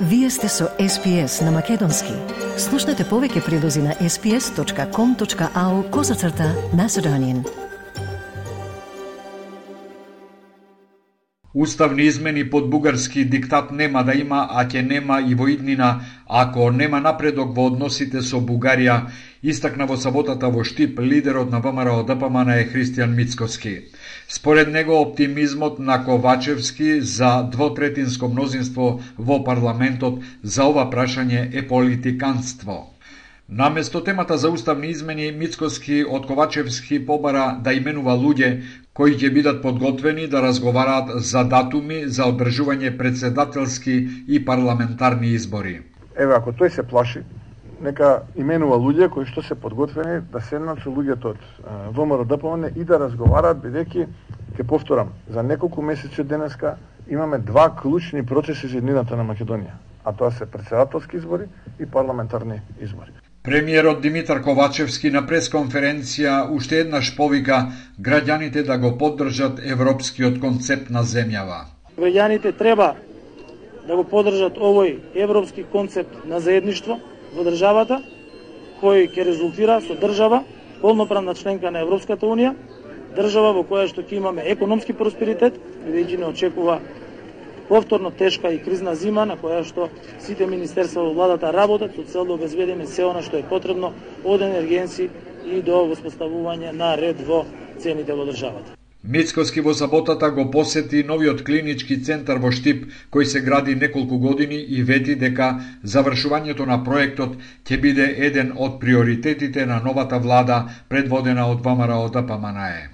Вие сте со SPS на Македонски. Слушнете повеќе прилози на sps.com.au/Macedonian. Уставни измени под бугарски диктат нема да има, а ќе нема и во иднина, ако нема напредок во односите со Бугарија, истакна во саботата во Штип лидерот на ВМРО-ДПМН е Христијан Мицкоски. Според него оптимизмот на Ковачевски за двотретинско мнозинство во парламентот за ова прашање е политиканство. Наместо темата за уставни измени, Мицкоски од Ковачевски побара да именува луѓе кои ќе бидат подготвени да разговараат за датуми за одржување председателски и парламентарни избори. Еве, ако тој се плаши, нека именува луѓе кои што се подготвени да седнат со луѓето од ВМРО-ДПМН и да разговараат, бидејќи, ќе повторам, за неколку месеци од денеска имаме два клучни процеси за иднината на Македонија, а тоа се председателски избори и парламентарни избори. Премиерот Димитар Ковачевски на пресконференција уште еднаш повика граѓаните да го поддржат европскиот концепт на земјава. Граѓаните треба да го поддржат овој европски концепт на заедништво во државата, кој ќе резултира со држава полноправна членка на Европската унија, држава во која што ќе имаме економски просперитет, бидејќи не очекува повторно тешка и кризна зима на која што сите министерства во владата работат со цел да обезбедиме се она што е потребно од енергенци и до воспоставување на ред во цените во државата. Мицкоски во саботата го посети новиот клинички центар во Штип, кој се гради неколку години и вети дека завршувањето на проектот ќе биде еден од приоритетите на новата влада предводена од ВМРО-ДПМН.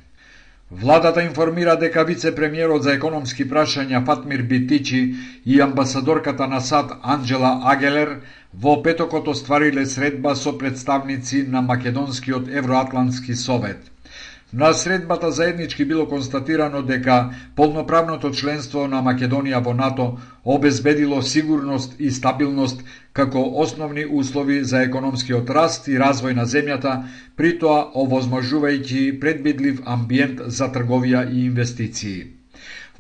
Владата информира дека вице-премиерот за економски прашања Фатмир Битичи и амбасадорката на САД Анджела Агелер во петокот оствариле средба со представници на Македонскиот Евроатлантски совет. На средбата заеднички било констатирано дека полноправното членство на Македонија во НАТО обезбедило сигурност и стабилност како основни услови за економскиот раст и развој на земјата, при тоа овозможувајќи предвидлив амбиент за трговија и инвестиции.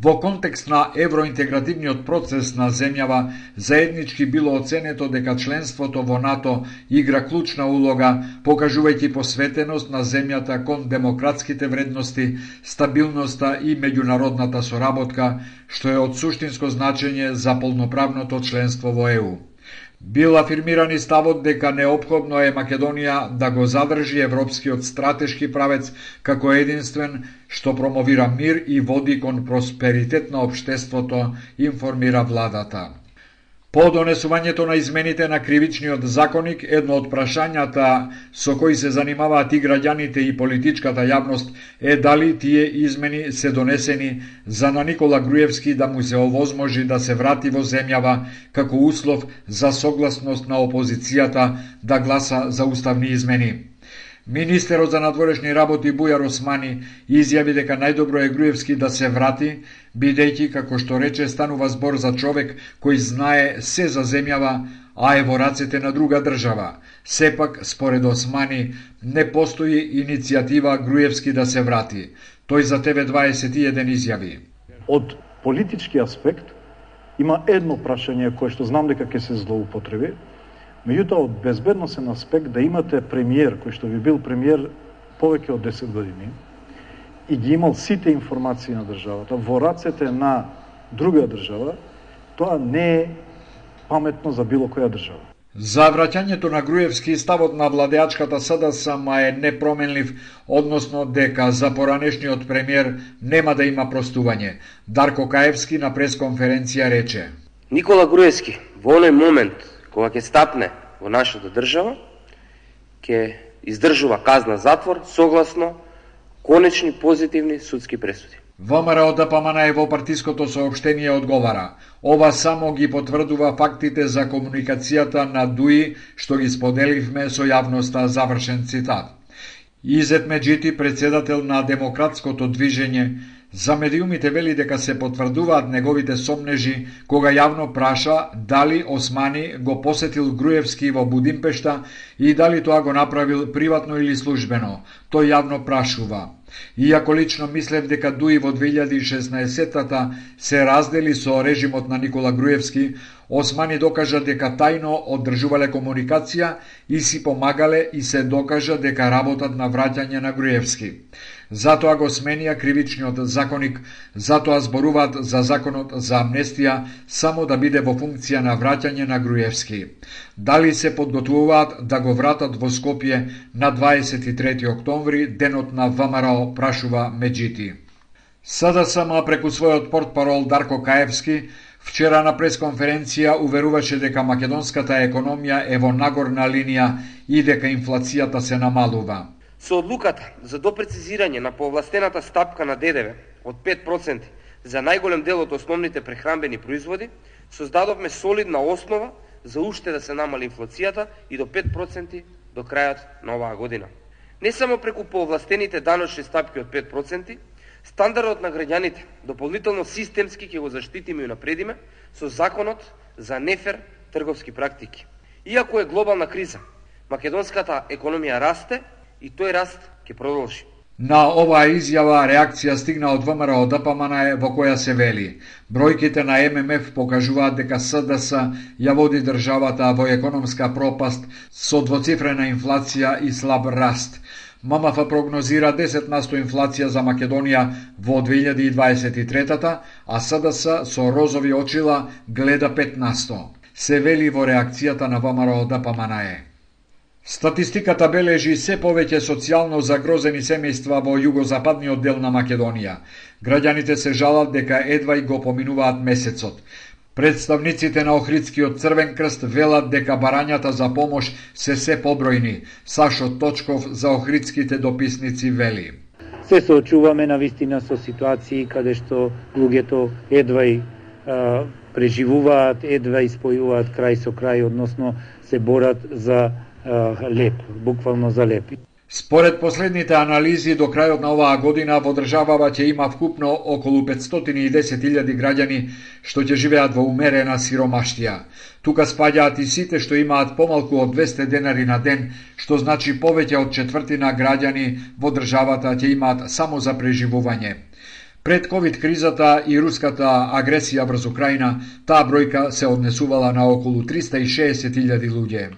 Во контекст на евроинтегративниот процес на земјава, заеднички било оценето дека членството во НАТО игра клучна улога, покажувајќи посветеност на земјата кон демократските вредности, стабилноста и меѓународната соработка, што е од суштинско значење за полноправното членство во ЕУ. Бил афирмиран и ставот дека неопходно е Македонија да го задржи европскиот стратешки правец како единствен што промовира мир и води кон просперитет на општеството, информира владата. По донесувањето на измените на кривичниот законник, едно од прашањата со кои се занимаваат и граѓаните и политичката јавност е дали тие измени се донесени за на Никола Груевски да му се овозможи да се врати во земјава како услов за согласност на опозицијата да гласа за уставни измени. Министерот за надворешни работи Бујар Османи изјави дека најдобро е Груевски да се врати, бидејќи, како што рече, станува збор за човек кој знае се за земјава, а е во рацете на друга држава. Сепак, според Османи, не постои иницијатива Груевски да се врати. Тој за TV21 изјави. Од политички аспект има едно прашање кое што знам дека ќе се злоупотреби. Меѓутоа, од безбедносен аспект да имате премиер, кој што би бил премиер повеќе од 10 години и ги имал сите информации на државата во рацете на друга држава, тоа не е паметно за било која држава. За враќањето на Груевски ставот на владеачката СДСМ е непроменлив, односно дека за поранешниот премиер нема да има простување. Дарко Каевски на пресконференција рече: Никола Груевски во оној момент кога ќе стапне во нашата држава, ќе издржува казна затвор согласно конечни позитивни судски пресуди. ВМРО-ДПМН во партиското соопштение одговара: ова само ги потврдува фактите за комуникацијата на ДУИ што ги споделивме со јавноста, завршен цитат. Изет Меджити, председател на Демократското движење, за медиумите вели дека се потврдуваат неговите сомнежи кога јавно праша дали Османи го посетил Груевски во Будимпешта и дали тоа го направил приватно или службено. Тој јавно прашува: Иако лично мислев дека ДУИ во 2016-та се раздели со режимот на Никола Груевски, Османи докажа дека тајно одржувале комуникација и си помагале и се докажа дека работат на враќање на Груевски. Затоа го сменија кривичниот законник, затоа зборуваат за законот за амнестија само да биде во функција на враќање на Груевски. Дали се подготвуваат да го вратат во Скопје на 23 октомври, денот на ВМРО, прашува Меджити. СДСМ преку својот портпарол Дарко Каевски вчера на пресконференција уверуваше дека македонската економија е во нагорна линија и дека инфлацијата се намалува. Со одлуката за допрецизирање на повластената стапка на ДДВ од 5% за најголем дел од основните прехранбени производи, создадовме солидна основа за уште да се намали инфлацијата и до 5% до крајот на оваа година. Не само преку повластените даночни стапки од 5%, стандардот на граѓаните дополнително системски ќе го заштитиме и напредиме со законот за нефер трговски практики. Иако е глобална криза, македонската економија расте и тој раст ќе продолжи. На оваа изјава реакција стигна од ВМРО ДПМН во која се вели: бројките на ММФ покажуваат дека СДС ја води државата во економска пропаст со двоцифрена инфлација и слаб раст. ММФ прогнозира 10% инфлација за Македонија во 2023, а СДС со розови очила гледа 5%. Се вели во реакцијата на ВМРО ДПМН. Статистиката бележи се повеќе социјално загрозени семејства во југозападниот дел на Македонија. Граѓаните се жалат дека едва и го поминуваат месецот. Представниците на Охридскиот Црвен крст велат дека барањата за помош се побројни. Сашо Точков за Охридските дописници вели: се соочуваме на вистина со ситуации каде што луѓето едва и преживуваат, едва и спојуваат крај со крај, односно се борат за леп, буквално за леп. Според последните анализи, до крајот на оваа година во државава ќе има вкупно околу 510.000 граѓани што ќе живеат во умерена сиромаштија. Тука спаѓаат и сите што имаат помалку од 200 денари на ден, што значи повеќе од четвртина граѓани во државата ќе имаат само за преживување. Пред ковид кризата и руската агресија врз Украина, таа бројка се однесувала на околу 360.000 луѓе.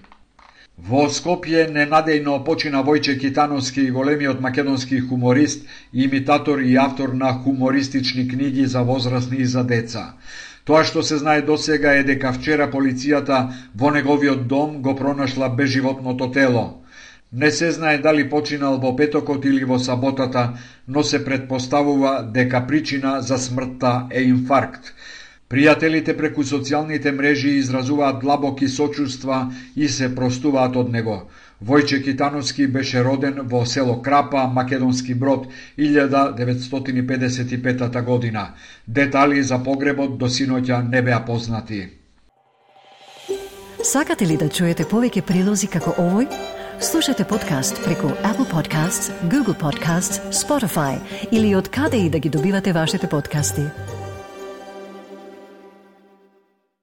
Во Скопје ненадејно почина Војче Китановски, големиот македонски хуморист, имитатор и автор на хумористични книги за возрастни и за деца. Тоа што се знае досега е дека вчера полицијата во неговиот дом го пронашла безживотното тело. Не се знае дали починал во петокот или во саботата, но се предпоставува дека причина за смртта е инфаркт. Пријателите преку социјалните мрежи изразуваат длабоки сочувства и се простуваат од него. Војче Китановски беше роден во село Крапа, Македонски Брод, 1955 година. Детали за погребот до синоќа не беа познати. Сакате ли да чуете повеќе прилози како овој? Слушате подкаст преку Apple Podcasts, Google Podcasts, Spotify или од каде и да ги добивате вашите подкасти.